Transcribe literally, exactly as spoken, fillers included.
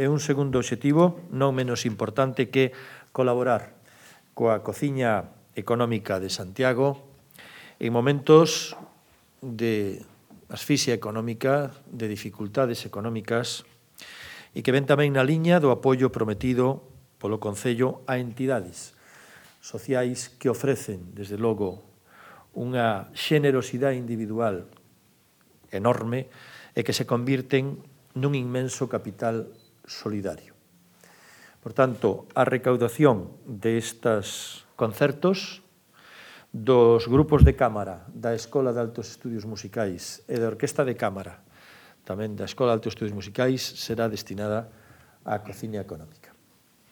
E un segundo obxectivo, non menos importante, que colaborar coa Cociña Económica de Santiago en momentos de asfixia económica, de dificultades económicas, e que ven tamén na liña do apoio prometido polo Concello a entidades sociais que ofrecen, desde logo, unha xenerosidade individual enorme e que se convirten nun inmenso capital solidario. Por tanto, a recaudación destas concertos dos grupos de cámara da Escola de Altos Estudios Musicais e da Orquesta de Cámara, tamén da Escola de Altos Estudios Musicais, será destinada á Cociña Económica.